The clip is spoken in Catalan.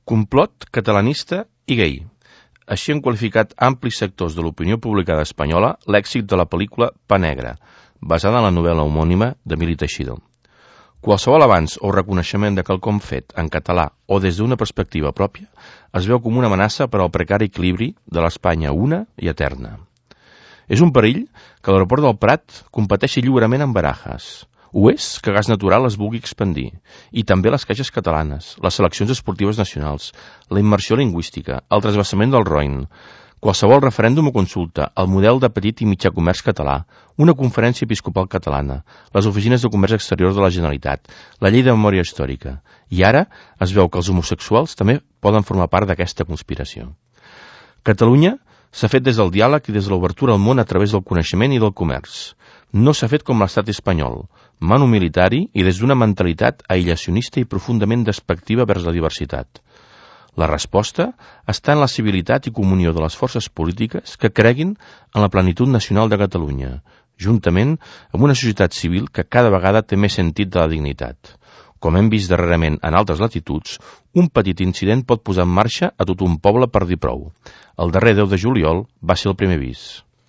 Complot catalanista i gai. Així han qualificat amplis sectors de l'opinió pública espanyola l'èxit de la pel·lícula Pa Negra, basada en la novel·la homònima d'Emili Teixidor. Qualsevol avanç o reconeixement de quelcom fet en català o des d'una perspectiva pròpia es veu com una amenaça per al precari equilibri de l'Espanya una i eterna. És un perill que l'aeroport del Prat competeixi lliurement amb Barajas. Ho és que Gas Natural es vulgui expandir, i també les caixes catalanes, les seleccions esportives nacionals, la immersió lingüística, el trasbassament del Roine, qualsevol referèndum o consulta, el model de petit i mitjà comerç català, una conferència episcopal catalana, les oficines de comerç exterior de la Generalitat, la llei de memòria històrica. I ara es veu que els homosexuals també poden formar part d'aquesta conspiració. Catalunya s'ha fet des del diàleg i des de l'obertura al món a través del coneixement i del comerç. No s'ha fet com l'estat espanyol, manu militari i des d'una mentalitat aïllacionista i profundament despectiva vers la diversitat. La resposta està en la civilitat i comunió de les forces polítiques que creguin en la plenitud nacional de Catalunya, juntament amb una societat civil que cada vegada té més sentit de la dignitat. Com hem vist darrerament en altres latituds, un petit incident pot posar en marxa a tot un poble per dir prou. El darrer 10 de juliol va ser el primer avís.